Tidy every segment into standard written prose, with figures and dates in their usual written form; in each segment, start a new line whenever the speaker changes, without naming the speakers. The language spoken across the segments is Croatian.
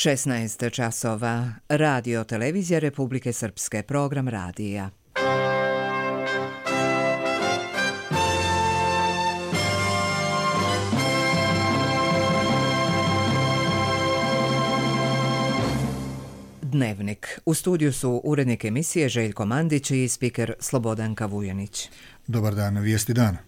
16 časova. Radio Televizija Republike Srpske. Program radija. Dnevnik. U studiju su urednik emisije Željko Mandić i spiker Slobodanka Vujanić.
Dobar dan, vijesti dana.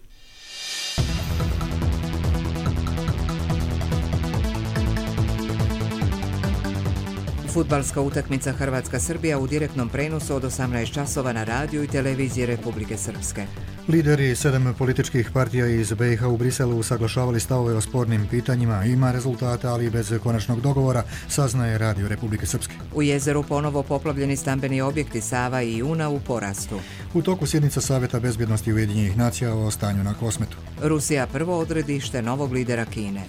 Fudbalska utakmica Hrvatska-Srbija u direktnom prenosu od 18 časova na radiju i televiziji Republike Srpske.
Lideri 7 političkih partija iz BiH u Briselu usaglašavali stavove o spornim pitanjima. Ima rezultata, ali bez konačnog dogovora, saznaje Radio Republike Srpske.
U jezeru ponovo poplavljeni stambeni objekti Sava i Una u porastu.
U toku sjednica Saveta bezbjednosti Ujedinjenih nacija o stanju na Kosmetu.
Rusija prvo odredište novog lidera Kine.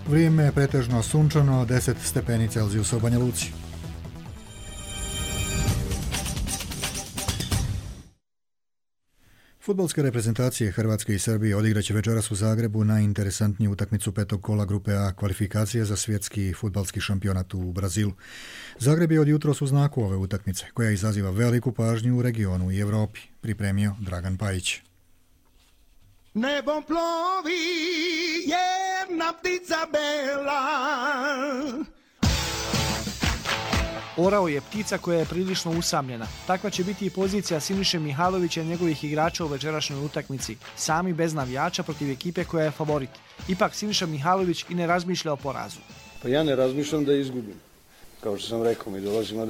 Vrijeme je pretežno sunčano, 10 stepeni Celzijusa u Banja Luci. Fudbalske reprezentacije Hrvatske i Srbije odigraće večeras u Zagrebu najinteresantniju utakmicu petog kola grupe A kvalifikacije za svjetski fudbalski šampionat u Brazilu. Zagreb je od jutros u znaku ove utakmice, koja izaziva veliku pažnju u regionu i Europi, pripremio Dragan Pajić.
Nebom plovi jedna ptica bela.
Orao je ptica koja je prilično usamljena. Takva će biti i pozicija Siniše Mihajlovića i njegovih igrača u večerašnjoj utakmici, sami bez navijača protiv ekipe koja je favorit. Ipak Siniša Mihajlović i ne razmišlja o porazu.
Pa ja ne razmišljam da izgubim. Kao što sam rekao, mi dolazimo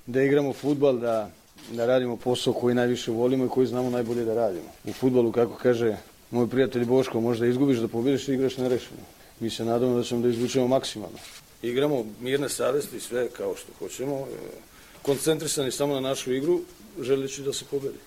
da igramo fudbal, da radimo posao koji najviše volimo i koji znamo najbolje da radimo. U fudbalu, kako kaže moj prijatelj Boško, možda izgubiš, da pobjediš i igraš nerešeno. Mi se nadamo da ćemo da izvučemo maksimalno. Igramo mirne savesti, sve kao što hoćemo, koncentrisani samo na našu igru, želeći da se pobedi.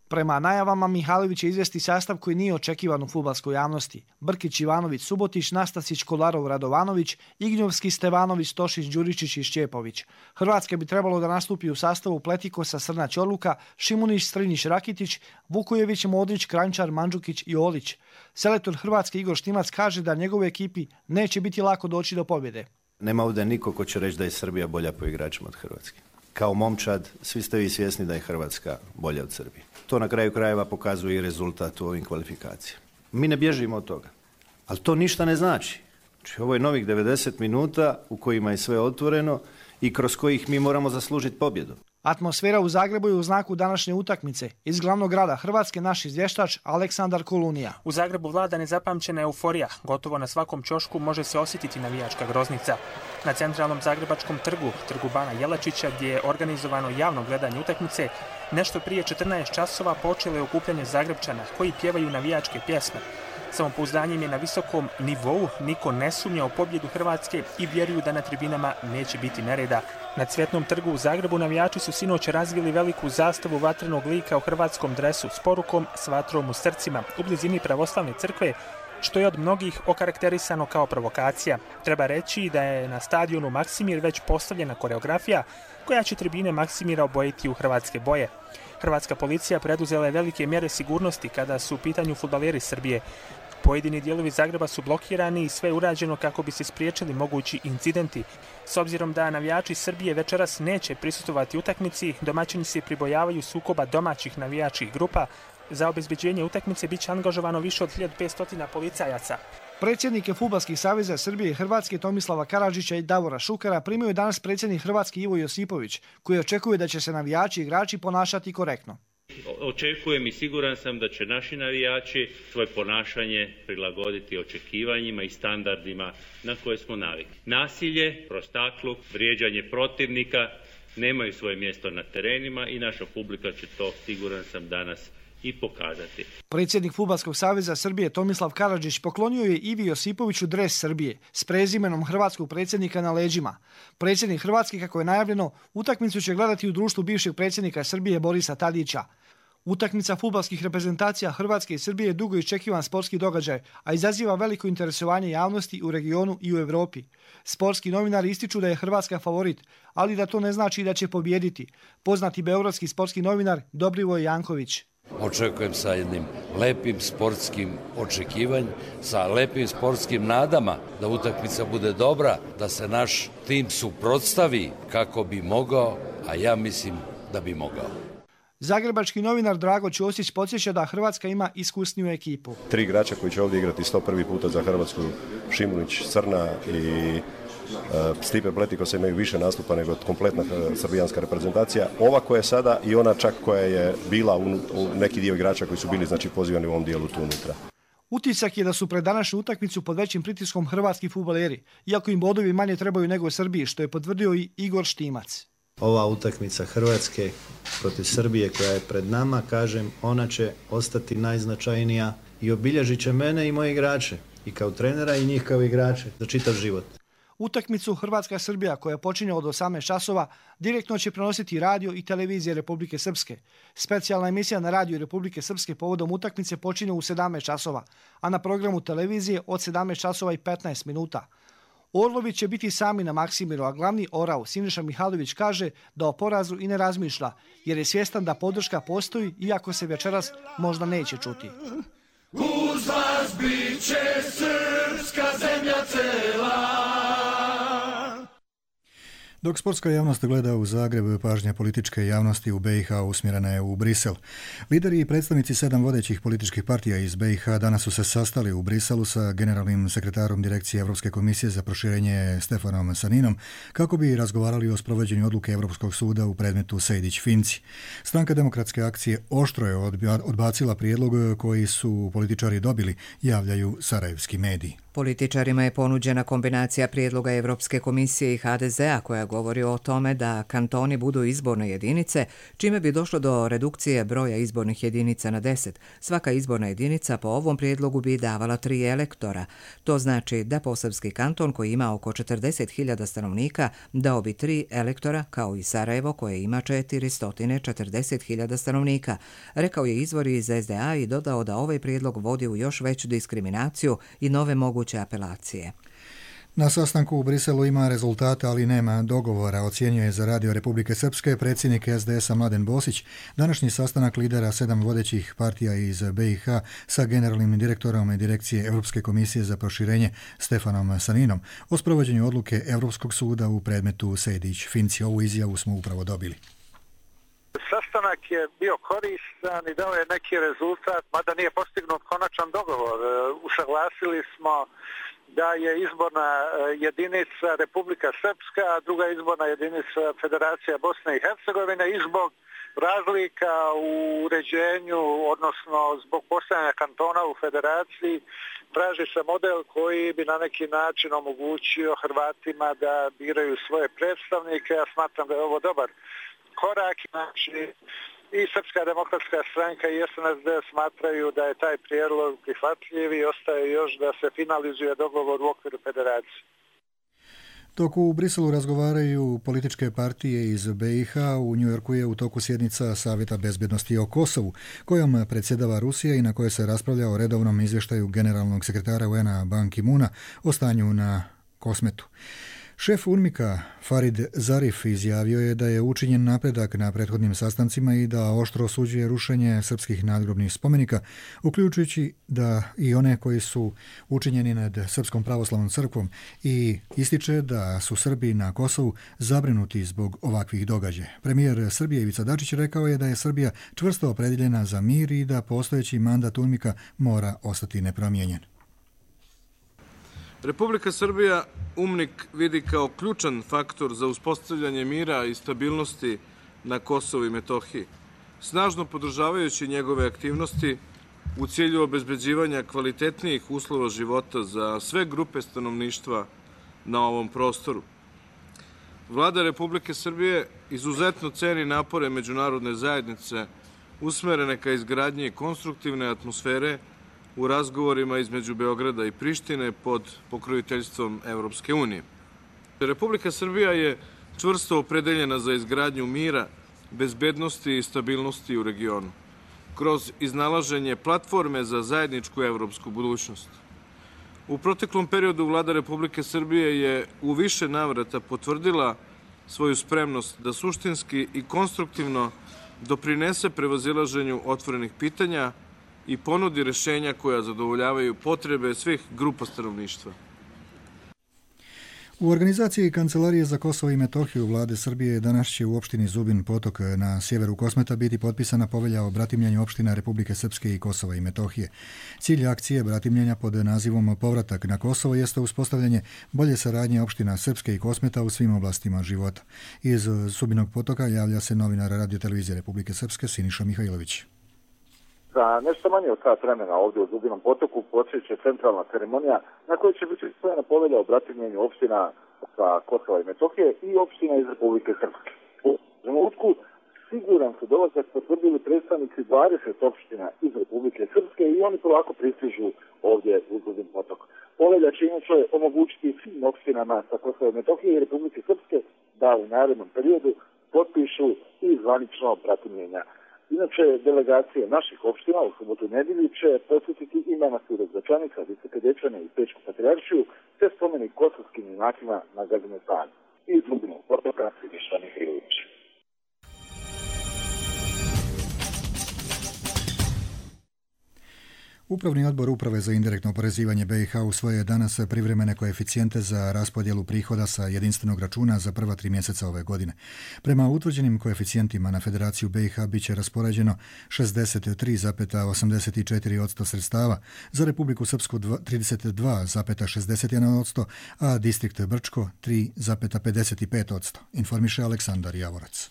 Prema najavama Mihajlović će izvesti sastav koji nije očekivan u fudbalskoj javnosti. Brkić, Ivanović, Subotić, Nastasić, Kolarov, Radovanović, Ignjovski, Stevanović, Tošić, Đuričić i Šćepović. Hrvatska bi trebalo da nastupi u sastavu Pletikosa, Srnać, Odluka, Šimunić, Strinić, Rakitić, Vukojević, Modrić, Kranjčar, Mandžukić i Olić. Selektor Hrvatske Igor Štimac kaže da njegovoj ekipi neće biti lako doći do pobjede.
Nema ovdje niko ko će reći da je Srbija bolja po igračima od Hrvatske. Kao momčad, svi ste vi svjesni da je Hrvatska bolja od Srbije. To na kraju krajeva pokazuje i rezultat u ovim kvalifikacijama. Mi ne bježimo od toga, ali to ništa ne znači. Znači, ovo je novih 90 minuta u kojima je sve otvoreno i kroz kojih mi moramo zaslužiti pobjedu.
Atmosfera u Zagrebu je u znaku današnje utakmice. Iz glavnog grada Hrvatske naš izvještač Aleksandar Kolunija.
U Zagrebu vlada nezapamćena euforija. Gotovo na svakom ćošku može se osjetiti navijačka groznica. Na centralnom zagrebačkom trgu Bana Jelačića, gdje je organizovano javno gledanje utakmice, nešto prije 14 časova počelo je okupljanje Zagrebčana koji pjevaju navijačke pjesme. Samopouzdanjem je na visokom nivou, niko ne sumnja u pobjedu Hrvatske i vjeruju da na tribinama neće biti nereda. Na Cvjetnom trgu u Zagrebu navijači su sinoć razvili veliku zastavu vatrenog lika u hrvatskom dresu s porukom "S vatrom u srcima" u blizini pravoslavne crkve, što je od mnogih okarakterisano kao provokacija. Treba reći da je na stadionu Maksimir već postavljena koreografija koja će tribine Maksimira obojiti u hrvatske boje. Hrvatska policija preduzela je velike mjere sigurnosti kada su u pitanju fudbaleri Srbije. Pojedini dijelovi Zagreba su blokirani i sve je urađeno kako bi se spriječili mogući incidenti. S obzirom da navijači Srbije večeras neće prisustvovati utakmici, domaćini se pribojavaju sukoba domaćih navijačkih grupa. Za obezbeđenje utakmice bit će angažovano više od 1500 policajaca.
Predsjednike fudbalskih saveza Srbije i Hrvatske Tomislava Karadžića i Davora Šukera primio je danas predsjednik Hrvatske Ivo Josipović, koji očekuje da će se navijači i igrači ponašati korektno.
Očekujem i siguran sam da će naši navijači svoje ponašanje prilagoditi očekivanjima i standardima na koje smo navikli. Nasilje, prostakluk, vrijeđanje protivnika nemaju svoje mjesto na terenima i naša publika će to, siguran sam, danas i pokazati.
Predsjednik Fudbalskog saveza Srbije Tomislav Karadžić poklonio je Ivi Josipoviću dres Srbije s prezimenom hrvatskog predsjednika na leđima. Predsjednik Hrvatske, kako je najavljeno, utakmicu će gledati u društvu bivšeg predsjednika Srbije Borisa Tadića. Utakmica fudbalskih reprezentacija Hrvatske i Srbije je dugo iščekivan sportski događaj, a izaziva veliko interesovanje javnosti u regionu i u Europi. Sportski novinari ističu da je Hrvatska favorit, ali da to ne znači da će pobijediti. Poznati beogradski sportski novinar Dobrivoj Janković.
Očekujem sa jednim lepim sportskim očekivanjem, sa lepim sportskim nadama da utakmica bude dobra, da se naš tim suprotstavi kako bi mogao, a ja mislim da bi mogao.
Zagrebački novinar Drago Ćosić podsjeća da Hrvatska ima iskusniju ekipu.
3 igrača koji će ovdje igrati 101. puta za Hrvatsku, Šimunić, Crna i Stipe Pletikosa imaju više nastupa nego kompletna srbijanska reprezentacija. Ova koja je sada i ona čak koja je bila u neki dio igrača koji su bili pozivani u ovom dijelu tu unutra.
Utisak je da su pred današnju utakmicu pod većim pritiskom hrvatski fudbaleri, iako im bodovi manje trebaju nego Srbiji, što je potvrdio i Igor Štimac.
Ova utakmica Hrvatske protiv Srbije koja je pred nama, kažem, ona će ostati najznačajnija i obilježit će mene i moje igrače, i kao trenera i njih kao igrače, za čitav život.
Utakmicu Hrvatska-Srbija, koja počinje od 18 časova, direktno će prenositi radio i televizije Republike Srpske. Specijalna emisija na radiju Republike Srpske povodom utakmice počinje u 17 časova, a na programu televizije od 17 časova i 15 minuta. Orlovi će biti sami na Maksimiru, a glavni orao Siniša Mihajlović kaže da o porazu i ne razmišlja, jer je svjestan da podrška postoji, iako se večeras možda neće čuti.
Uz vas bit će srpska zemlja cela.
Dok sportska javnost gleda u Zagreb, pažnja političke javnosti u BiH usmjerena je u Brisel. Lideri i predstavnici 7 vodećih političkih partija iz BiH danas su se sastali u Briselu sa generalnim sekretarom Direkcije Europske komisije za proširenje Stefanom Saninom kako bi razgovarali o sprovođenju odluke Europskog suda u predmetu Sejdić-Finci. Stranka Demokratske akcije oštro je odbacila prijedlog koji su političari dobili, javljaju sarajevski mediji.
Političarima je ponuđena kombinacija prijedloga Europske komisije i HDZ-a koja govori o tome da kantoni budu izborne jedinice, čime bi došlo do redukcije broja izbornih jedinica na 10. Svaka izborna jedinica po ovom prijedlogu bi davala 3 elektora. To znači da Posavski kanton, koji ima oko 40.000 stanovnika, dao bi 3 elektora, kao i Sarajevo koje ima 440.000 stanovnika. Rekao je izvor iz SDA i dodao da ovaj prijedlog vodi u još veću diskriminaciju i nove moguće apelacije.
Na sastanku u Briselu ima rezultata, ali nema dogovora, ocjenjuje za Radio Republike Srpske predsjednik SDS-a Mladen Bosić. Današnji sastanak lidera 7 vodećih partija iz BiH sa generalnim direktorom Direkcije Europske komisije za proširenje Stefanom Saninom o sprovođenju odluke Europskog suda u predmetu Sejdić-Finci. Ovu izjavu smo upravo dobili.
Sastanak je bio koristan i dao je neki rezultat, mada nije postignut konačan dogovor. Usaglasili smo da je izborna jedinica Republika Srpska, a druga izborna jedinica Federacija Bosne i Hercegovine i zbog razlika u uređenju, odnosno zbog postojanja kantona u federaciji, traži se model koji bi na neki način omogućio Hrvatima da biraju svoje predstavnike. Ja smatram da je ovo dobar korak, znači i Srpska demokratska stranka i SNSD smatraju da je taj prijedlog prihvatljiv i ostaje još da se finalizuje dogovor u okviru federacije.
Dok u Briselu razgovaraju političke partije iz BiH, u Njujorku je u toku sjednica Savjeta bezbjednosti o Kosovu, kojom predsjedava Rusija i na kojoj se raspravlja o redovnom izvještaju generalnog sekretara UN-a Ban Ki-moona o stanju na Kosmetu. Šef UNMIK-a Farid Zarif izjavio je da je učinjen napredak na prethodnim sastancima i da oštro osuđuje rušenje srpskih nadgrobnih spomenika, uključujući da i one koji su učinjeni nad Srpskom pravoslavnom crkvom, i ističe da su Srbi na Kosovu zabrinuti zbog ovakvih događaja. Premijer Srbije Ivica Dačić rekao je da je Srbija čvrsto opredjeljena za mir i da postojeći mandat UNMIK-a mora ostati nepromijenjen.
Republika Srbija UNMIK vidi kao ključan faktor za uspostavljanje mira i stabilnosti na Kosovu i Metohiji, snažno podržavajući njegove aktivnosti u cilju obezbeđivanja kvalitetnijih uslova života za sve grupe stanovništva na ovom prostoru. Vlada Republike Srbije izuzetno ceni napore međunarodne zajednice usmerene ka izgradnji konstruktivne atmosfere u razgovorima između Beograda i Prištine pod pokroviteljstvom Evropske unije. Republika Srbija je čvrsto opredeljena za izgradnju mira, bezbednosti i stabilnosti u regionu, kroz iznalaženje platforme za zajedničku evropsku budućnost. U proteklom periodu Vlada Republike Srbije je u više navrata potvrdila svoju spremnost da suštinski i konstruktivno doprinese prevazilaženju otvorenih pitanja i ponudi rešenja koja zadovoljavaju potrebe svih grupa stanovništva.
U organizaciji Kancelarije za Kosovo i Metohiju vlade Srbije danas će u opštini Zubin Potok na sjeveru Kosmeta biti potpisana povelja o bratimljenju opština Republike Srpske i Kosova i Metohije. Cilj akcije bratimljenja pod nazivom Povratak na Kosovo jeste uspostavljanje bolje saradnje opština Srpske i Kosmeta u svim oblastima života. Iz Zubinog Potoka javlja se novinar Radio-televizije Republike Srpske Siniša Mihajlović.
Za nešto manje od sat vremena ovdje u Zubinom Potoku počeće centralna ceremonija na kojoj će biti usvojena povelja o bratimljenju opština sa Kosova i Metohije i opština iz Republike Srpske. U trenutku siguran su dolazak potvrdili predstavnici 20 opština iz Republike Srpske i oni polako pristižu ovdje u Zubin Potok. Povelja će inače omogućiti svim opštinama sa Kosova i Metohije i Republike Srpske da u narednom periodu potpišu i zvanično bratimljenja. Inače, delegacije naših opština u subotu i nedjelju će posjetiti i manastir Začanica, Visoke Dečane i Pečku Patrijaršiju, te spomenik kosovskim junacima na Gazimestanu. Iz Zubinog Potoka Siniša Mihajlović.
Upravni odbor Uprave za indirektno oporezivanje BiH usvojio je danas privremene koeficijente za raspodjelu prihoda sa jedinstvenog računa za prva 3 mjeseca ove godine. Prema utvrđenim koeficijentima na Federaciju BiH bit će raspoređeno 63,84% sredstava, za Republiku Srpsku 32,61%, a distrikt Brčko 3,55%, informiše Aleksandar Javorac.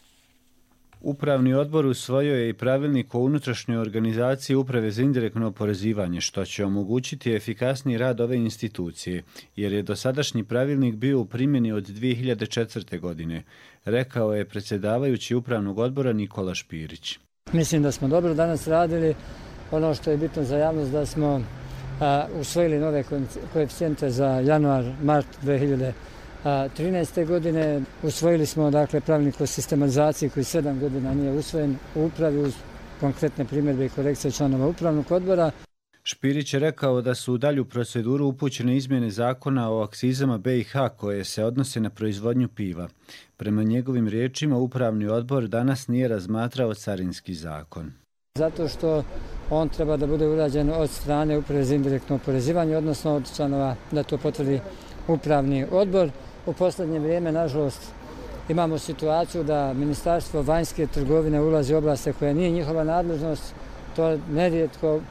Upravni odbor usvojio je i pravilnik o unutrašnjoj organizaciji Uprave za indirektno oporezivanje, što će omogućiti efikasniji rad ove institucije, jer je dosadašnji pravilnik bio u primjeni od 2004. godine, rekao je predsjedavajući Upravnog odbora Nikola Špirić.
Mislim da smo dobro danas radili. Ono što je bitno za javnost da smo usvojili nove koeficijente za januar-mart 2013. godine. Usvojili smo pravilnik o sistematizaciji koji 7 godina nije usvojen u upravi uz konkretne primjedbe i korekcije članova Upravnog odbora.
Špirić je rekao da su u dalju proceduru upućene izmjene zakona o akcizama BiH koje se odnose na proizvodnju piva. Prema njegovim riječima, Upravni odbor danas nije razmatrao carinski zakon.
Zato što on treba da bude urađen od strane Uprave za indirektno oporezivanje, odnosno od članova da to potvrdi Upravni odbor. U posljednje vrijeme, nažalost, imamo situaciju da Ministarstvo vanjske trgovine ulazi u oblasti koja nije njihova nadležnost. To nerijetko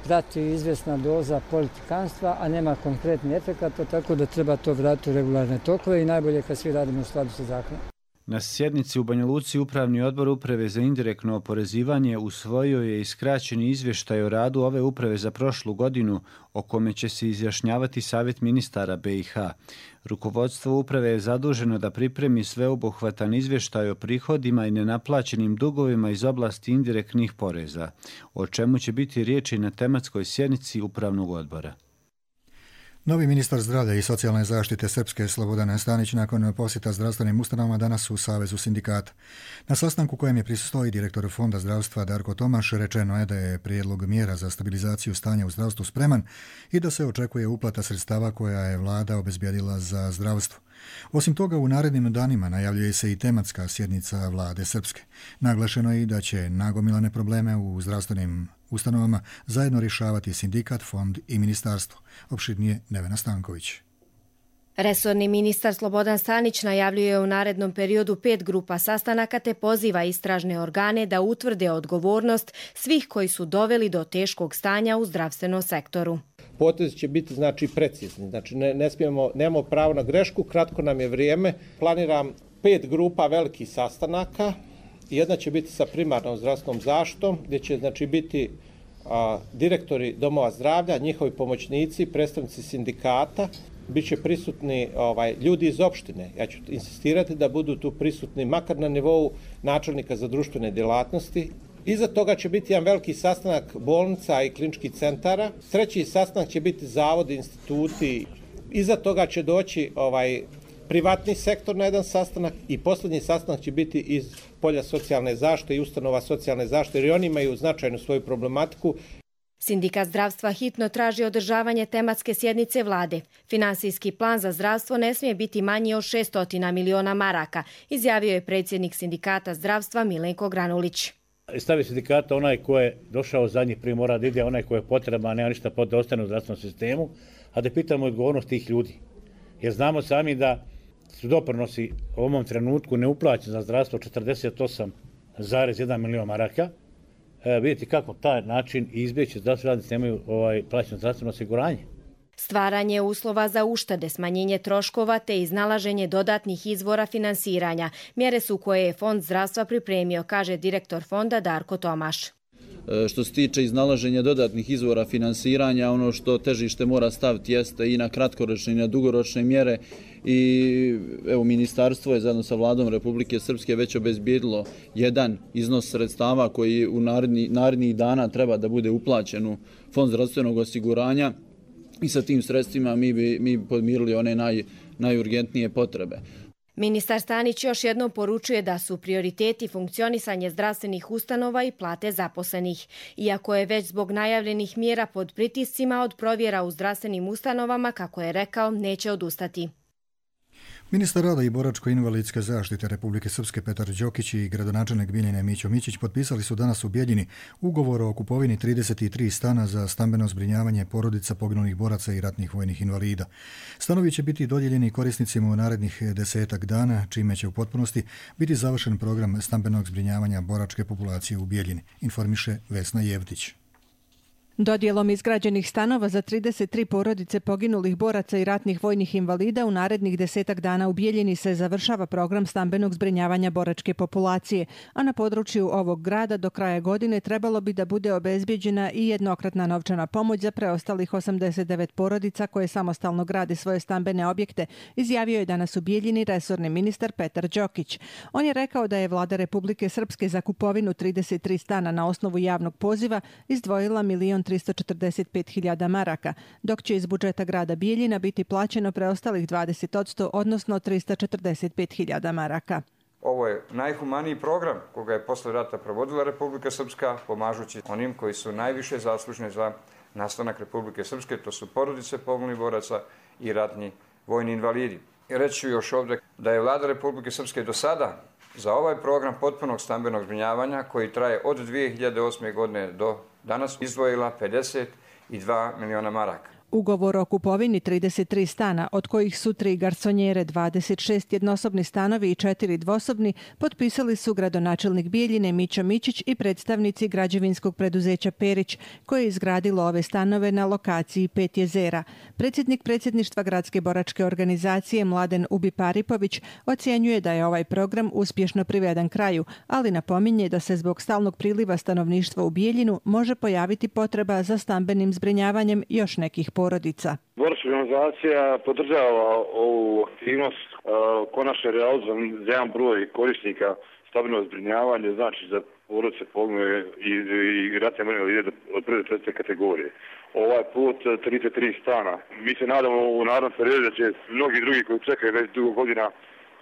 prati izvjesna doza politikanstva, a nema konkretni efekata, tako da treba to vratiti u regularne tokove i najbolje kad svi radimo u skladu sa zakonom.
Na sjednici u Banja Luci Upravni odbor Uprave za indirektno oporezivanje usvojio je i skraćeni izvještaj o radu ove uprave za prošlu godinu, o kome će se izjašnjavati Savjet ministara BiH. Rukovodstvo uprave je zaduženo da pripremi sveobuhvatan izvještaj o prihodima i nenaplaćenim dugovima iz oblasti indirektnih poreza, o čemu će biti riječi na tematskoj sjednici Upravnog odbora.
Novi ministar zdravlja i socijalne zaštite Srpske Slobodan Stanić nakon posjeta zdravstvenim ustanovama danas u Savezu sindikata. Na sastanku kojem je prisustvovao i direktor Fonda zdravstva Darko Tomaš rečeno je da je prijedlog mjera za stabilizaciju stanja u zdravstvu spreman i da se očekuje uplata sredstava koja je vlada obezbijedila za zdravstvo. Osim toga, u narednim danima najavljuje se i tematska sjednica vlade Srpske. Naglašeno je i da će nagomilane probleme u zdravstvenim ustanovama zajedno rješavati sindikat, fond i ministarstvo. Opširnije Nevena Stanković.
Resorni ministar Slobodan Stanić najavljuje u narednom periodu 5 grupa sastanaka te poziva istražne organe da utvrde odgovornost svih koji su doveli do teškog stanja u zdravstvenom sektoru.
Potezi će biti precizni, nemamo pravo na grešku, kratko nam je vrijeme. Planiram 5 grupa velikih sastanaka. Jedna će biti sa primarnom zdravstvenom zaštitom, gdje će biti direktori domova zdravlja, njihovi pomoćnici, predstavnici sindikata, bit će prisutni ljudi iz opštine. Ja ću insistirati da budu tu prisutni makar na nivou načelnika za društvene djelatnosti. Iza toga će biti jedan veliki sastanak bolnica i kliničkih centara. Treći sastanak će biti zavodi, instituti. Iza toga će doći privatni sektor na jedan sastanak i posljednji sastanak će biti iz polja socijalne zaštite i ustanova socijalne zaštite, jer oni imaju značajnu svoju problematiku.
Sindikat zdravstva hitno traži održavanje tematske sjednice vlade. Finansijski plan za zdravstvo ne smije biti manji od 600 miliona maraka, izjavio je predsjednik sindikata zdravstva Milenko Granulić.
Stavi sindikata onaj ko je došao zadnji prije mora da ide, onaj ko je potreban, nema ništa da ostane u zdravstvenom sistemu, a da pitamo odgovornost tih ljudi. Jer znamo sami da su doprinosi u ovom trenutku neuplaćeni za zdravstvo 48,1 milion maraka. Vidite kako taj način izbjeći zdravstveni radnici nemaju plaćeno zdravstveno osiguranje.
Stvaranje uslova za uštede, smanjenje troškova te iznalaženje dodatnih izvora finansiranja. Mjere su koje je Fond zdravstva pripremio, kaže direktor fonda Darko Tomaš.
Što se tiče iznalaženja dodatnih izvora finansiranja, ono što težište mora staviti jeste i na kratkoročne i na dugoročne mjere i evo ministarstvo je zajedno sa vladom Republike Srpske već obezbijedilo jedan iznos sredstava koji u narednih dana treba da bude uplaćen u Fond zdravstvenog osiguranja i sa tim sredstvima mi bi podmirili one najurgentnije potrebe.
Ministar Stanić još jednom poručuje da su prioriteti funkcionisanje zdravstvenih ustanova i plate zaposlenih. Iako je već zbog najavljenih mjera pod pritiscima od provjera u zdravstvenim ustanovama, kako je rekao, neće odustati.
Ministar rada i boračko-invalidske zaštite Republike Srpske Petar Đokić i gradonačelnik Bijeljine Mićo Mićić potpisali su danas u Bijeljini ugovor o kupovini 33 stana za stambeno zbrinjavanje porodica poginulih boraca i ratnih vojnih invalida. Stanovi će biti dodijeljeni korisnicima u narednih 10 dana, čime će u potpunosti biti završen program stambenog zbrinjavanja boračke populacije u Bijeljini, informiše Vesna Jevdić.
Dodjelom izgrađenih stanova za 33 porodice poginulih boraca i ratnih vojnih invalida u narednih 10 dana u Bijeljini se završava program stambenog zbrinjavanja boračke populacije, a na području ovog grada do kraja godine trebalo bi da bude obezbijeđena i jednokratna novčana pomoć za preostalih 89 porodica koje samostalno grade svoje stambene objekte, izjavio je danas u Bijeljini resorni ministar Petar Đokić. On je rekao da je vlada Republike Srpske za kupovinu 33 stana na osnovu javnog poziva izdvojila 1.345.000 maraka, dok će iz budžeta grada Bijeljina biti plaćeno preostalih 20%, odnosno 345.000 maraka.
Ovo je najhumaniji program koga je posle rata provodila Republika Srpska, pomažući onim koji su najviše zaslužni za nastanak Republike Srpske, to su porodice poginulih boraca i ratni vojni invalidi. I reći ću još ovdje da je vlada Republike Srpske do sada za ovaj program potpunog stambenog zbrinjavanja, koji traje od 2008. godine do danas, izdvojila 52 miliona maraka.
Ugovor o kupovini 33 stana, od kojih su 3 garsonjere, 26 jednosobni stanovi i 4 dvosobni, potpisali su gradonačelnik Bijeljine Mićo Mićić i predstavnici građevinskog preduzeća Perić, koje je izgradilo ove stanove na lokaciji 5 jezera. Predsjednik predsjedništva gradske boračke organizacije Mladen Ubi-Paripović ocjenjuje da je ovaj program uspješno priveden kraju, ali napominje da se zbog stalnog priliva stanovništva u Bijeljinu može pojaviti potreba za stambenim zbrinjavanjem još nekih porodica.
Boračka organizacija podržava ovu aktivnost, konačno realizovan za jedan broj korisnika stambenog zbrinjavanja, znači za porodice poginule i ratne vojne invalide od prve do treće kategorije. Ovaj put 33 stana. Mi se nadamo u narednom periodu da će mnogi drugi koji čekaju već dugo godina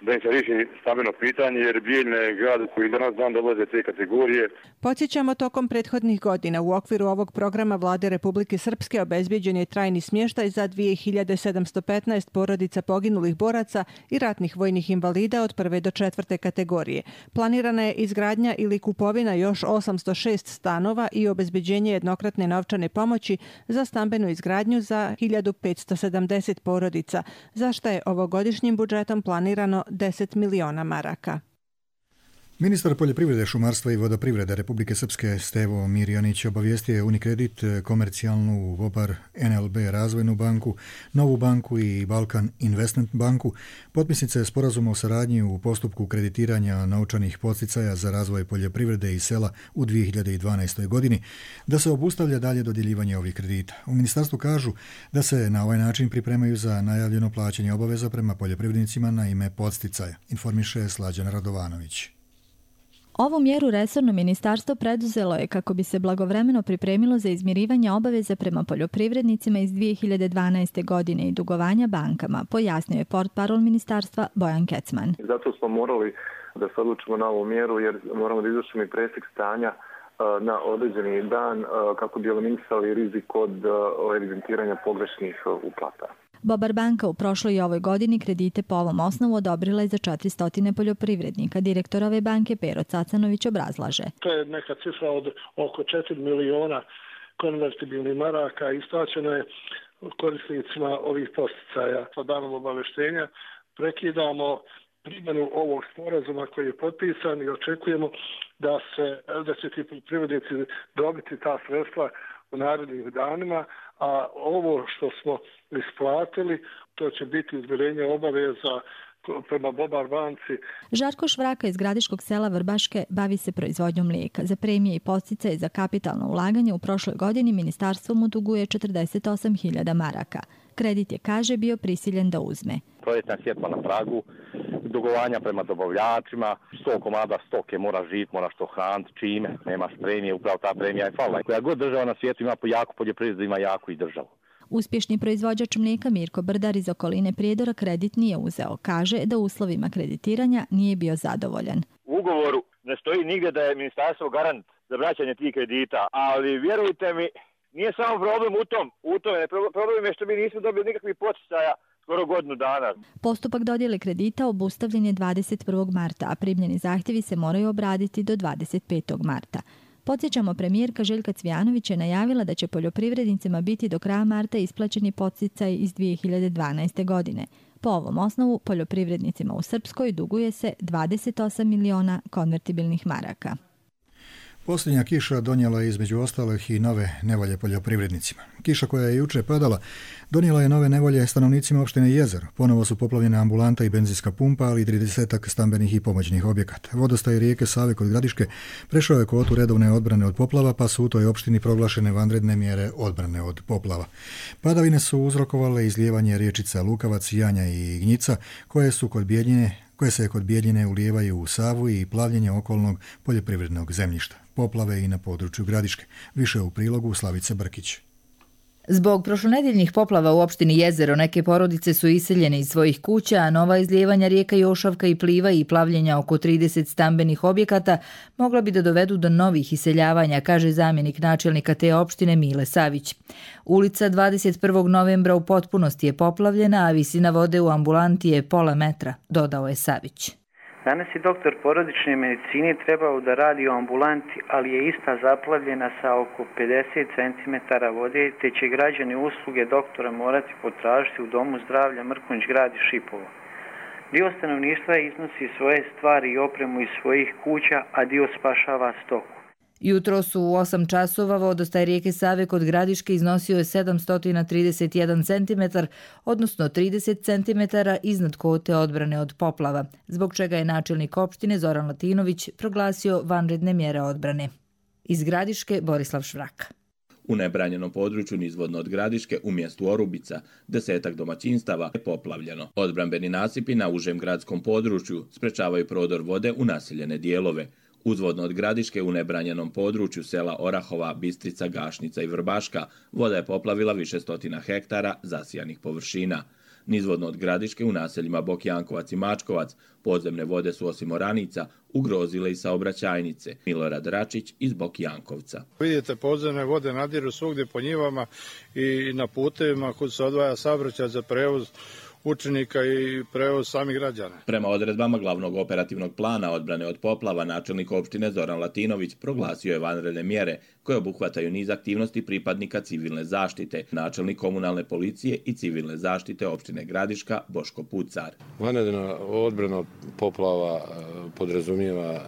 da im se riješi stambeno pitanje, jer Bijeljina je grad koji danas dan dolaze te kategorije.
Podsjećamo, tokom prethodnih godina u okviru ovog programa vlade Republike Srpske obezbijeđen je trajni smještaj za 2715 porodica poginulih boraca i ratnih vojnih invalida od prve do četvrte kategorije. Planirana je izgradnja ili kupovina još 806 stanova i obezbeđenje jednokratne novčane pomoći za stambenu izgradnju za 1570 porodica, za što je ovogodišnjim budžetom planirano 10 miliona maraka.
Ministar poljoprivrede, šumarstva i vodoprivrede Republike Srpske Stevo Mirjanić obavijestio je Unicredit, Komercijalnu, Vobar, NLB Razvojnu banku, Novu banku i Balkan Investment banku, potpisnice sporazuma o saradnji u postupku kreditiranja novčanih podsticaja za razvoj poljoprivrede i sela u 2012. godini, da se obustavlja dalje dodjeljivanje ovih kredita. U ministarstvu kažu da se na ovaj način pripremaju za najavljeno plaćanje obaveza prema poljoprivrednicima na ime podsticaja, informiše Slađana Radovanović.
Ovu mjeru resorno ministarstvo preduzelo je kako bi se blagovremeno pripremilo za izmirivanje obaveza prema poljoprivrednicima iz 2012. godine i dugovanja bankama, pojasnio je portparol ministarstva Bojan Kecman.
Zato smo morali da se odlučimo na ovu mjeru jer moramo da izvršimo i presjek stanja
na određeni dan kako bi eliminisali rizik od evidentiranja pogrešnih uplata.
Bobar banka u prošloj i ovoj godini kredite po ovom osnovu odobrila je za 400 poljoprivrednika. Direktor ove banke Pero Cacanović obrazlaže.
To je neka cifra od oko 4 miliona konvertibilnih maraka. Isplaćeno je korisnicima ovih posticaja. Sa danom obaveštenja prekidamo primjenu ovog sporazuma koji je potpisan i očekujemo da će ti poljoprivrednici dobiti ta sredstva u narednih danima, a ovo što smo isplatili, to će biti izmirenje obaveza prema Bobar banci.
Žarko Švraka iz gradiškog sela Vrbaške bavi se proizvodnjom mlijeka. Za premije i podsticaje za kapitalno ulaganje u prošloj godini ministarstvo mu duguje 48.000 maraka. Kredit je, kaže, bio prisiljen da uzme.
Proljetna sjetva na pragu, dugovanja prema dobavljačima, 100 komada stoke moraš živjeti, moraš to hraniti, čime, nemaš premije, upravo ta premija je falila. Koja god država na svijetu ima jaku poljoprivredu, ima jaku i državu.
Uspješni proizvođač mlijeka Mirko Brdar iz okoline Prijedora kredit nije uzeo. Kaže da u uslovima kreditiranja nije bio zadovoljan.
U ugovoru ne stoji nigdje da je ministarstvo garant za vraćanje tih kredita, ali vjerujte mi, nije samo problem u tom. Problem je što mi nismo dobili nikakvih poticaja skoro godinu dana.
Postupak dodjele kredita obustavljen je 21. marta, a primljeni zahtjevi se moraju obraditi do 25. marta. Podsjećamo, premijerka Željka Cvijanović je najavila da će poljoprivrednicima biti do kraja marta isplaćeni podsticaj iz 2012. godine. Po ovom osnovu poljoprivrednicima u Srpskoj duguje se 28 miliona konvertibilnih maraka.
Posljednja kiša donijela je između ostalih i nove nevolje poljoprivrednicima. Kiša koja je juče padala donijela je nove nevolje stanovnicima opštine Jezero. Ponovo su poplavljene ambulanta i benzinska pumpa, ali i 30 stambenih i pomoćnih objekata. Vodostaj rijeke Save kod Gradiške prešao je kvotu redovne odbrane od poplava, pa su u toj opštini proglašene vanredne mjere odbrane od poplava. Padavine su uzrokovale izlijevanje riječica Lukavac, Janja i Gnjica, koje se kod Bijeljine ulijevaju u Savu i plavljenje okolnog poljoprivrednog zemljišta. Poplave i na području Gradiške. Više u prilogu Slavice Brkić.
Zbog prošlonedjeljnih poplava u opštini Jezero neke porodice su iseljene iz svojih kuća, a nova izlijevanja rijeka Jošavka i Pliva i plavljenja oko 30 stambenih objekata mogla bi da dovedu do novih iseljavanja, kaže zamjenik načelnika te opštine Mile Savić. Ulica 21. novembra u potpunosti je poplavljena, a visina vode u ambulanti je pola metra, dodao je Savić.
Danas je doktor porodične medicine trebao da radi u ambulanti, ali je ista zaplavljena sa oko 50 cm vode, te će građani usluge doktora morati potražiti u Domu zdravlja Mrkonjić grad i Šipovo. Dio stanovništva iznosi svoje stvari i opremu iz svojih kuća, a dio spašava stoku.
Jutro su u 8 časova vodostaj rijeke Save kod Gradiške iznosio je 731 cm, odnosno 30 cm iznad kvote odbrane od poplava, zbog čega je načelnik opštine Zoran Latinović proglasio vanredne mjere odbrane. Iz Gradiške Borislav Švraka.
U nebranjenom području nizvodno od Gradiške u mjestu Orubica 10 domaćinstava je poplavljeno. Odbrambeni nasipi na užem gradskom području sprečavaju prodor vode u naseljene dijelove. Uzvodno od Gradiške u nebranjenom području sela Orahova, Bistrica, Gašnica i Vrbaška voda je poplavila više stotina hektara zasijanih površina. Nizvodno od Gradiške u naseljima Bokjankovac i Mačkovac podzemne vode su osim oranica ugrozile i saobraćajnice. Milorad Račić iz Bokjankovca.
Vidite, podzemne vode nadiru svugdje po njivama i na putevima kud se odvaja saobraćaj za prevoz učenika i prevoz samih građana.
Prema odredbama glavnog operativnog plana odbrane od poplava, načelnik opštine Zoran Latinović proglasio je vanredne mjere koje obuhvataju niz aktivnosti pripadnika civilne zaštite, načelnik komunalne policije i civilne zaštite opštine Gradiška Boško Pucar.
Vanredna odbrana od poplava podrazumijeva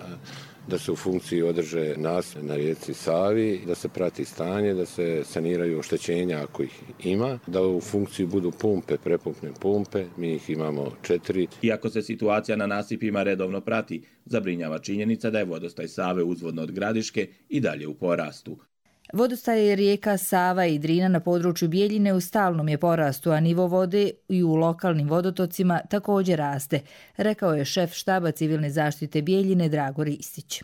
da se u funkciji održe nasipi na rijeci Savi, da se prati stanje, da se saniraju oštećenja ako ih ima, da u funkciji budu pumpe, prepumpne pumpe, mi ih imamo 4.
Iako se situacija na nasipima redovno prati, zabrinjava činjenica da je vodostaj Save uzvodno od Gradiške i dalje u porastu.
Vodostaj rijeka Sava i Drina na području Bijeljine u stalnom je porastu, a nivo vode i u lokalnim vodotocima također raste, rekao je šef štaba civilne zaštite Bijeljine Drago Ristić.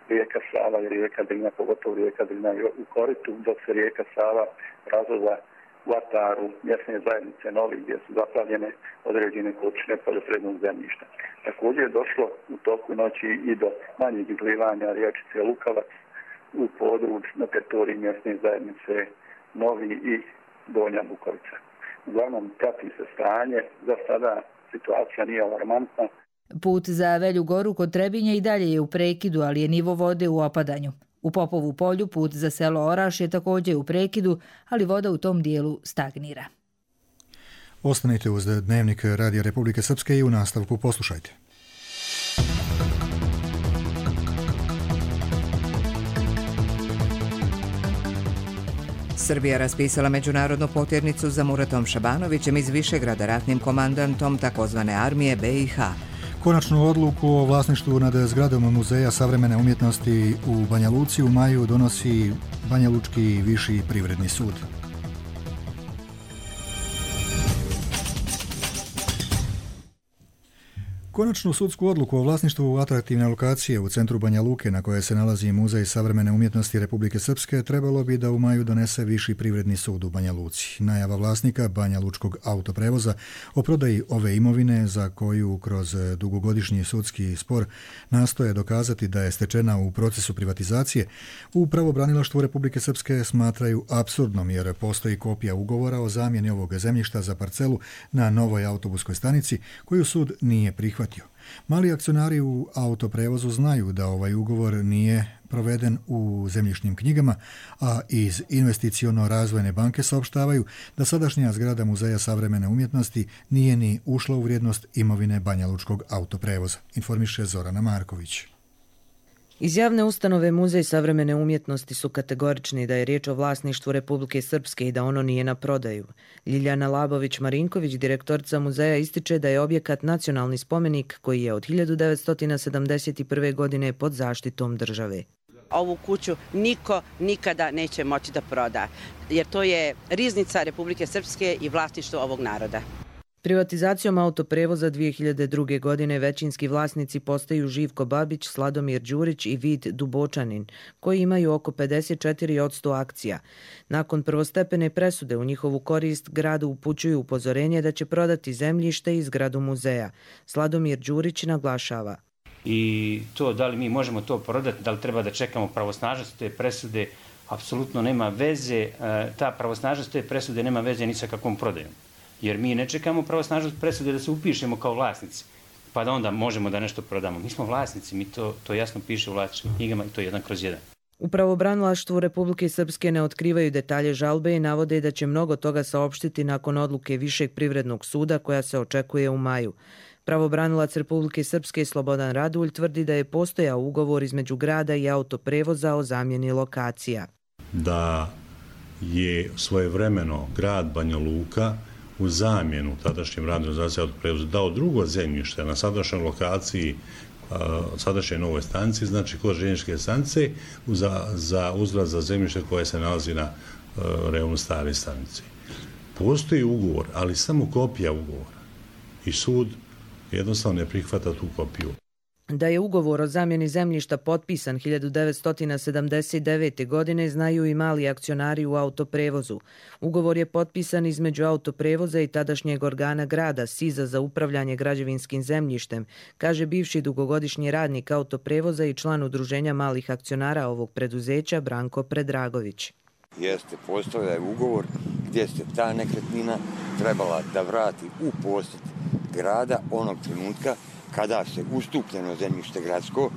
Rijeka Sava i rijeka Drina, pogotovo rijeka Drina u koritu, dok se rijeka Sava razvoza u Ataru, mjesne zajednice Novi, gdje su zaplavljene određene količine poljoprivrednog zemljišta. Također je došlo u toku noći i do manjeg izlivanja riječice Lukavac
u području na teritoriji mjesne zajednice Novi i Donja Bukovica. Uglavnom, prati se stanje, za sada situacija nije alarmantna.
Put za Velju Goru kod Trebinja i dalje je u prekidu, ali je nivo vode u opadanju. U Popovu polju put za selo Oraš je također u prekidu, ali voda u tom dijelu stagnira.
Ostanite uz Dnevnik Radija Republike Srpske i u nastavku poslušajte.
Srbija raspisala međunarodnu potjernicu za Muratom Šabanovićem iz Višegrada, ratnim komandantom takozvane armije BiH.
Konačnu odluku o vlasništvu nad zgradom Muzeja savremene umjetnosti u Banja Luci u maju donosi Banja Lučki viši privredni sud. Konačnu sudsku odluku o vlasništvu atraktivne lokacije u centru Banja Luke na kojoj se nalazi Muzej savremene umjetnosti Republike Srpske trebalo bi da u maju donese Viši privredni sud u Banja Luci. Najava vlasnika Banja Lučkog autoprevoza o prodaji ove imovine za koju kroz dugogodišnji sudski spor nastoje dokazati da je stečena u procesu privatizacije, u pravobranilaštvu Republike Srpske smatraju apsurdnom jer postoji kopija ugovora o zamjeni ovog zemljišta za parcelu na novoj autobuskoj stanici koju sud nije prihvatio. Mali akcionari u autoprevozu znaju da ovaj ugovor nije proveden u zemljišnim knjigama, a iz Investiciono-razvojne banke saopštavaju da sadašnja zgrada Muzeja savremene umjetnosti nije ni ušla u vrijednost imovine Banja Lučkog autoprevoza, informiše Zorana Marković.
Iz javne ustanove Muzej savremene umjetnosti su kategorični da je riječ o vlasništvu Republike Srpske i da ono nije na prodaju. Ljiljana Labović-Marinković, direktorica muzeja, ističe da je objekat nacionalni spomenik koji je od 1971. godine pod zaštitom države.
Ovu kuću niko nikada neće moći da proda, jer to je riznica Republike Srpske i vlasništvo ovog naroda.
Privatizacijom autoprevoza 2002. godine većinski vlasnici postaju Živko Babić, Sladomir Đurić i Vid Dubočanin, koji imaju oko 54% akcija. Nakon prvostepene presude u njihovu korist gradu upućuju upozorenje da će prodati zemljište i zgradu muzeja. Sladomir Đurić naglašava.
I to da li mi možemo to prodati, da li treba da čekamo pravosnažnost te presude, apsolutno nema veze. Ta pravosnažnost te presude nema veze ni sa kakvom prodajom. Jer mi ne čekamo pravosnažnost presude da se upišemo kao vlasnici, pa da onda možemo da nešto prodamo. Mi smo vlasnici, mi to jasno piše u vlasničkim knjigama i to je 1/1.
U pravobranilaštvu Republike Srpske ne otkrivaju detalje žalbe i navode da će mnogo toga saopštiti nakon odluke Višeg privrednog suda koja se očekuje u maju. Pravobranilac Republike Srpske Slobodan Radulj tvrdi da je postojao ugovor između grada i autoprevoza o zamjeni lokacija.
Da je svojevremeno grad Banja Luka u zamjenu tadašnjem radnoj organizaciji autoprevoza dao drugo zemljište na sadašnjoj lokaciji sadašnje novoj stanici, znači kod željezničke stanice, za uzgled za zemljište koje se nalazi na rejonu stare stanice. Postoji ugovor, ali samo kopija ugovora. I sud jednostavno ne prihvata tu kopiju.
Da je ugovor o zamjeni zemljišta potpisan 1979. godine znaju i mali akcionari u autoprevozu. Ugovor je potpisan između autoprevoza i tadašnjeg organa grada SIZ-a za upravljanje građevinskim zemljištem, kaže bivši dugogodišnji radnik autoprevoza i član udruženja malih akcionara ovog preduzeća Branko Predragović.
Postojao je ugovor gdje se ta nekretnina trebala da vrati u posjed grada onog trenutka kada se ustupljeno zemljište gradsko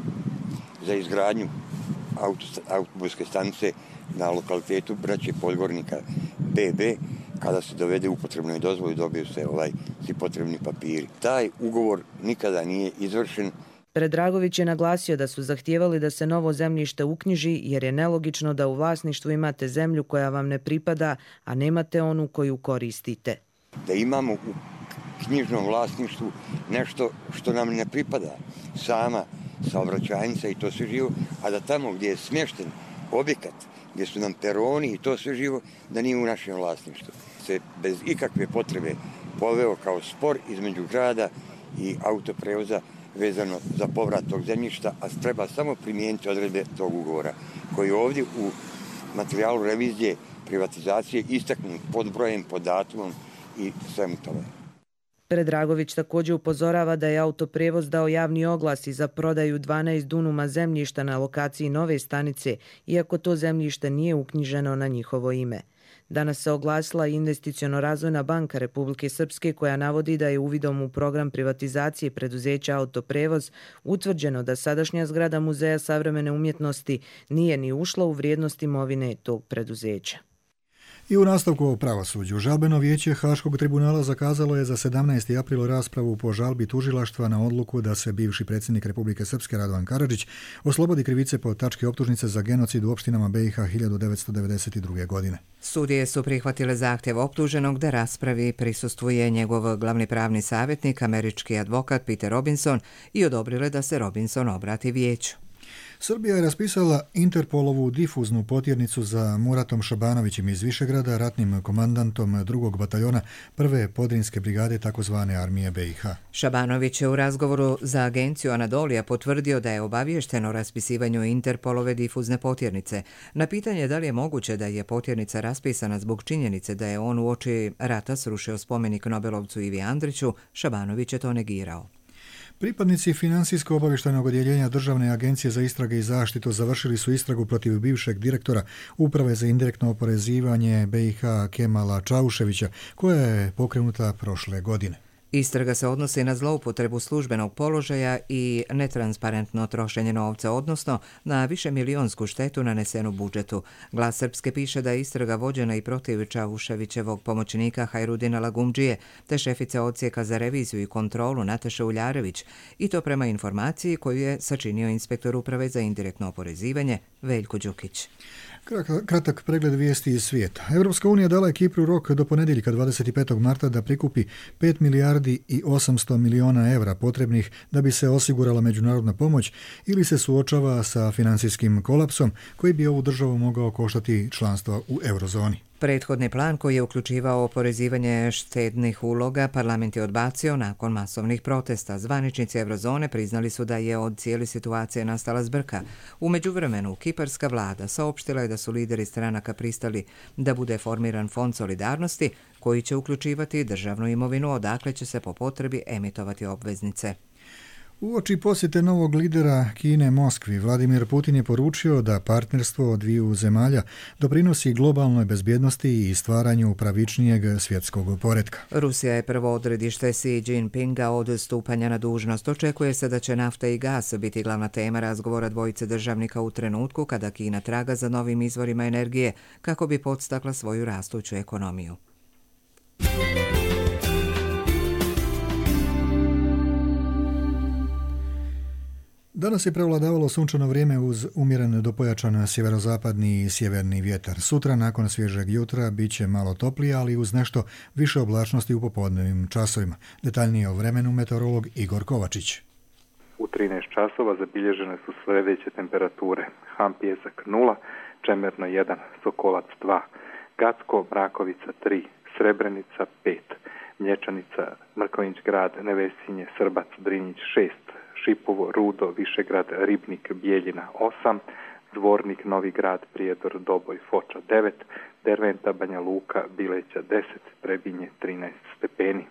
za izgradnju autobuske stanice na lokalitetu Braće Podgornika BB, kada se dovede u potrebnoj dozvoli, dobiju se svi potrebni papiri. Taj ugovor nikada nije izvršen.
Predragović je naglasio da su zahtijevali da se novo zemljište uknjiži jer je nelogično da u vlasništvu imate zemlju koja vam ne pripada, a nemate onu koju koristite.
Da imamo u knjižnom vlasništvu nešto što nam ne pripada, sama saobraćajnica i to sve živo, a da tamo gdje je smješten objekat, gdje su nam peroni i to sve živo, da nije u našem vlasništvu. Se bez ikakve potrebe poveo kao spor između grada i autoprevoza vezano za povrat tog zemljišta, a treba samo primijeniti odredbe tog ugovora, koji je ovdje u materijalu revizije privatizacije istaknut pod brojem, pod datumom i svemu tome.
Predragović također upozorava da je Autoprijevoz dao javni oglas i za prodaju 12 dunuma zemljišta na lokaciji nove stanice, iako to zemljište nije uknjiženo na njihovo ime. Danas se oglasila i Investiciono-razvojna banka Republike Srpske koja navodi da je uvidom u program privatizacije preduzeća Autoprijevoz utvrđeno da sadašnja zgrada Muzeja savremene umjetnosti nije ni ušla u vrijednost imovine tog preduzeća.
I u nastavku o pravosuđu, žalbeno vijeće Haškog tribunala zakazalo je za 17. april raspravu po žalbi tužilaštva na odluku da se bivši predsjednik Republike Srpske Radovan Karadžić oslobodi krivice po tački optužnice za genocid u opštinama BiH 1992. godine.
Sudije su prihvatile zahtjev optuženog da raspravi i prisustvuje njegov glavni pravni savjetnik, američki advokat Peter Robinson, i odobrile da se Robinson obrati vijeću.
Srbija je raspisala Interpolovu difuznu potjernicu za Muratom Šabanovićem iz Višegrada, ratnim komandantom 2. bataljona 1. podrinske brigade tzv. Armije BiH.
Šabanović je u razgovoru za agenciju Anadolija potvrdio da je obaviješten o raspisivanju Interpolove difuzne potjernice. Na pitanje da li je moguće da je potjernica raspisana zbog činjenice da je on uoči rata srušio spomenik Nobelovcu Ivi Andriću, Šabanović je to negirao.
Pripadnici Financijsko-obavještajnog odjeljenja Državne agencije za istrage i zaštitu završili su istragu protiv bivšeg direktora Uprave za indirektno oporezivanje BiH Kemala Čauševića, koja je pokrenuta prošle godine.
Istraga se odnosi na zloupotrebu službenog položaja i netransparentno trošenje novca, odnosno na višemilijonsku štetu nanesenu budžetu. Glas Srpske piše da je istraga vođena i protiv Čauševićevog pomoćnika Hajrudina Lagumdžije, te šefice odsjeka za reviziju i kontrolu Nataše Uljarević, i to prema informaciji koju je sačinio inspektor Uprave za indirektno oporezivanje Veljko Đukić.
Kratak pregled vijesti iz svijeta. Europska unija dala je Kipru rok do ponedjeljka 25. marta da prikupi 5 milijardi i 800 miliona evra potrebnih da bi se osigurala međunarodna pomoć ili se suočava sa financijskim kolapsom koji bi ovu državu mogao koštati članstvo u eurozoni.
Prethodni plan koji je uključivao oporezivanje štednih uloga parlament je odbacio nakon masovnih protesta. Zvaničnici eurozone priznali su da je od cijele situacije nastala zbrka. U međuvremenu, kiparska vlada saopštila je da su lideri stranaka pristali da bude formiran fond solidarnosti koji će uključivati državnu imovinu, odakle će se po potrebi emitovati obveznice.
Uoči posjete novog lidera Kine Moskvi, Vladimir Putin je poručio da partnerstvo dviju zemalja doprinosi globalnoj bezbjednosti i stvaranju pravičnijeg svjetskog poretka.
Rusija je prvo odredište Xi Jinpinga od stupanja na dužnost. Očekuje se da će nafta i gas biti glavna tema razgovora dvojice državnika u trenutku kada Kina traga za novim izvorima energije kako bi podstakla svoju rastuću ekonomiju.
Danas je prevladavalo sunčano vrijeme uz umjeren do pojačan sjeverozapadni i sjeverni vjetar. Sutra, nakon svježeg jutra, bit će malo toplije, ali uz nešto više oblačnosti u popodnevnim časovima. Detaljnije o vremenu meteorolog Igor Kovačić.
U 13 časova zabilježene su sljedeće temperature. Ham Pjesak 0, Čemerno 1, Sokolac 2, Gacko, Mrakovica 3, Srebrenica 5, Mlječanica, Mrkonjić grad, Nevesinje, Srbac, Drinjić 6, Šipovo, Rudo, Višegrad, Ribnik, Bijeljina 8, Dvornik, Novi grad, Prijedor, Doboj, Foča 9, Derventa, Banja Luka, Bileća 10, Trebinje 13 stepeni.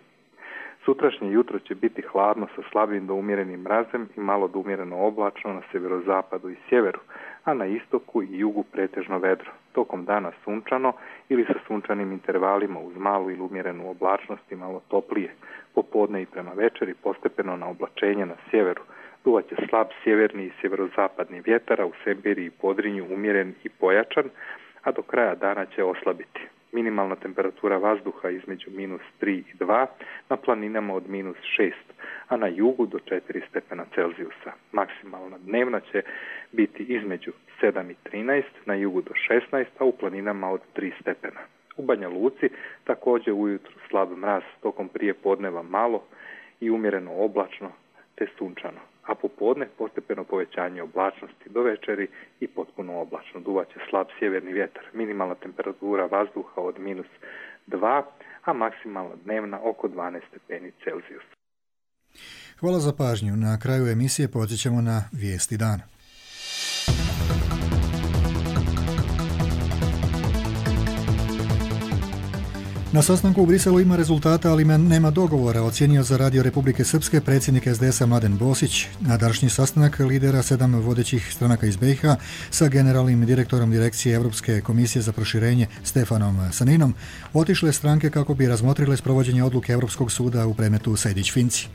Sutrašnje jutro će biti hladno sa slabim do umjerenim mrazem i malo do umjereno oblačno na sjeverozapadu i sjeveru, a na istoku i jugu pretežno vedro. Tokom dana sunčano ili sa sunčanim intervalima uz malu ili umjerenu oblačnost i malo toplije. Popodne i prema večeri postepeno na oblačenje na sjeveru. Duvaće slab sjeverni i sjeverozapadni vjetar, a u Sembiri i Podrinju umjeren i pojačan, a do kraja dana će oslabiti. Minimalna temperatura vazduha između -3 i 2, na planinama od -6, a na jugu do 4 stepena Celzijusa. Maksimalna dnevna će biti između 7 i 13, na jugu do 16, a u planinama od 3 stepena. U Banja Luci također ujutro slab mraz, tokom prije podneva malo i umjereno oblačno te sunčano, a popodne postepeno povećanje oblačnosti do večeri i potpuno oblačno. Duvaće slab sjeverni vjetar. Minimalna temperatura vazduha od -2, a maksimalna dnevna oko 12 stepeni Celzijusa.
Hvala za pažnju. Na kraju emisije podsjećamo na vijesti dana. Na sastanku u Briselu ima rezultata, ali nema dogovora, ocijenio za Radio Republike Srpske predsjednik SDS-a Mladen Bosić. Na današnji sastanak lidera 7 vodećih stranaka iz BiH sa generalnim direktorom Direkcije Europske komisije za proširenje Stefanom Saninom otišle stranke kako bi razmotrile sprovođenje odluke Europskog suda u predmetu Sejdić-Finci.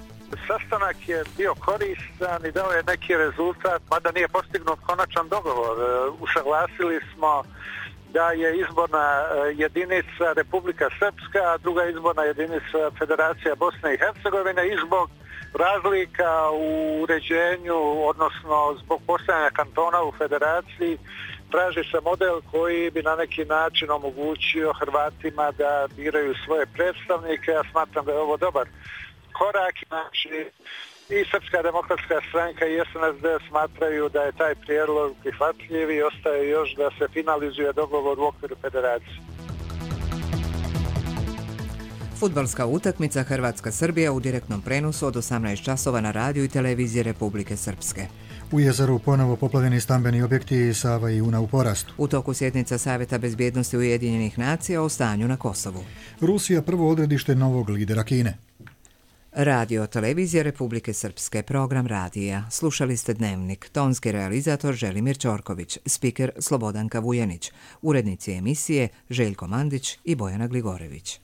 Sastanak je bio koristan i dao je neki rezultat, mada nije postignut konačan dogovor. Usaglasili smo da je izborna jedinica Republika Srpska, a druga izborna jedinica Federacija Bosne i Hercegovine i zbog razlika u uređenju, odnosno zbog postojanja kantona u federaciji, traži se model koji bi na neki način omogućio Hrvatima da biraju svoje predstavnike. Ja smatram da je ovo dobar korak, znači i Srpska demokratska stranka i SNSD smatraju da je taj prijedlog prihvatljiv i ostaje još da se finalizuje dogovor u okviru federacije.
Fudbalska utakmica Hrvatska-Srbija u direktnom prenosu od 18 časova na radiju i televiziji Republike Srpske.
U jezeru ponovo poplavljeni stambeni objekti, Sava i Una u porastu.
U toku sjednica Savjeta bezbjednosti Ujedinjenih nacija o stanju na Kosovu.
Rusija prvo odredište novog lidera Kine.
Radio televizija Republike Srpske, program radija. Slušali ste Dnevnik, tonski realizator Želimir Ćorković, spiker Slobodanka Vujanić, urednici emisije Željko Mandić i Bojana Gligorević.